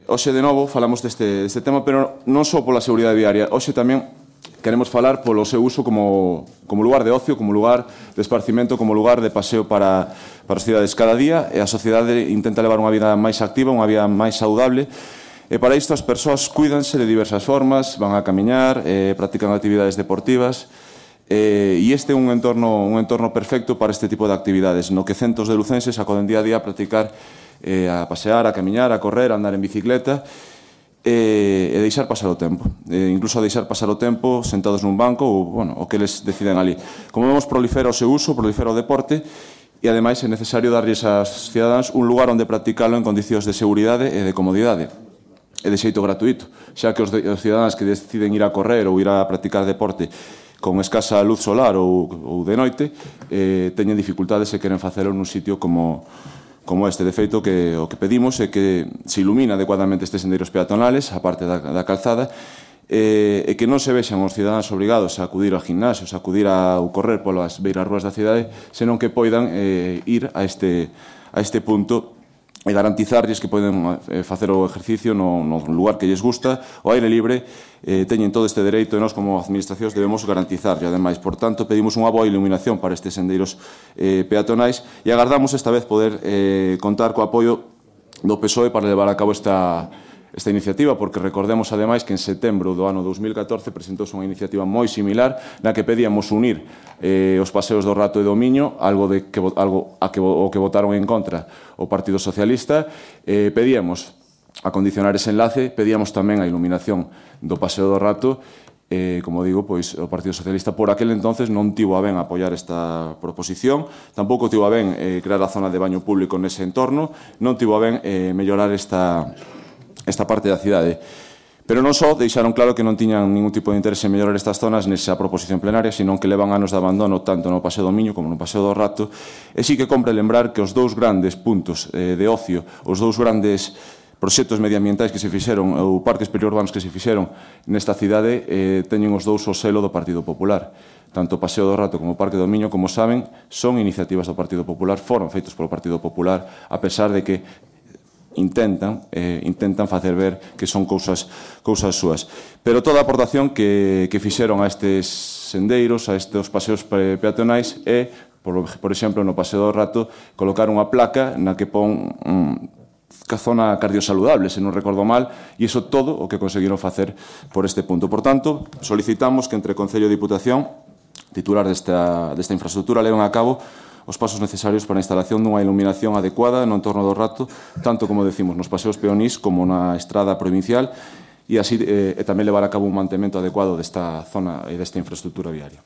hoxe de novo falamos deste tema, pero non só pola seguridade viaria. Hoxe tamén queremos falar polo seu uso como lugar de ocio, como lugar de esparcimento, como lugar de paseo para as cidades. Cada día a sociedade intenta levar unha vida máis activa, unha vida máis saudable, e para isto as persoas cuídanse de diversas formas, van a camiñar, practican actividades deportivas, e este é un entorno perfecto para este tipo de actividades, no que centos de lucenses acoden día a día a practicar, a pasear, a camiñar, a correr, a andar en bicicleta, e deixar pasar o tempo, incluso a deixar pasar o tempo sentados nun banco ou o que eles deciden ali. Como vemos, prolifera o seu uso, prolifera o deporte, e ademais é necesario darlles aos cidadáns un lugar onde practicalo en condicións de seguridade e de comodidade, e de xeito gratuito, xa que os cidadáns que deciden ir a correr ou ir a practicar deporte con escasa luz solar ou de noite teñen dificultades e queren facelo nun sitio como este. De feito, o que pedimos é que se ilumina adecuadamente estes sendeiros peatonales, a parte da calzada, e que non se vexan os cidadáns obrigados a acudir a gimnasios, a acudir a correr polas beiras rúas da cidade, senón que poidan ir a este punto e garantizarlles que poden facer o exercicio no lugar que lles gusta, o aire libre, teñen todo este dereito e nós como administracións debemos garantizarlo. Ademais, por tanto, pedimos unha boa iluminación para estes sendeiros peatonais e agardamos esta vez poder contar co apoio do PSOE para levar a cabo esta iniciativa, porque recordemos ademais que en setembro do ano 2014 presentouse unha iniciativa moi similar na que pedíamos unir os paseos do Rato e do Miño, algo que votaron en contra o Partido Socialista. Pedíamos acondicionar ese enlace, pedíamos tamén a iluminación do Paseo do Rato. Como digo, pois o Partido Socialista por aquel entonces non tivo a ben apoiar esta proposición, tampouco tivo a ben crear a zona de baño público nese entorno, non tivo a ben mellorar esta parte da cidade. Pero non só deixaron claro que non tiñan ningún tipo de interese en mellorar estas zonas nesa proposición plenaria, senón que levan anos de abandono tanto no Paseo do Miño como no Paseo do Rato, e sí que compre lembrar que os dous grandes puntos de ocio, os dous grandes proxectos medioambientais que se fixeron, ou parques periurbanos que se fixeron nesta cidade, teñen os dous o selo do Partido Popular. Tanto o Paseo do Rato como o Parque do Miño, como saben, son iniciativas do Partido Popular, foron feitos polo Partido Popular, a pesar de que intentan facer ver que son cousas súas. Pero toda a aportación que fixeron a estes sendeiros, a estes paseos peatonais, é, por exemplo, no Paseo do Rato, colocar unha placa na que pon que zona cardiosaludable, se non recordo mal, e iso todo o que conseguiron facer por este punto. Por tanto, solicitamos que entre Concello e Diputación, titular desta infraestructura, leven a cabo os pasos necesarios para a instalación dunha iluminación adecuada no entorno do Rato, tanto como decimos nos paseos peonís como na estrada provincial, e así tamén levar a cabo un mantemento adecuado desta zona e desta infraestructura viaria.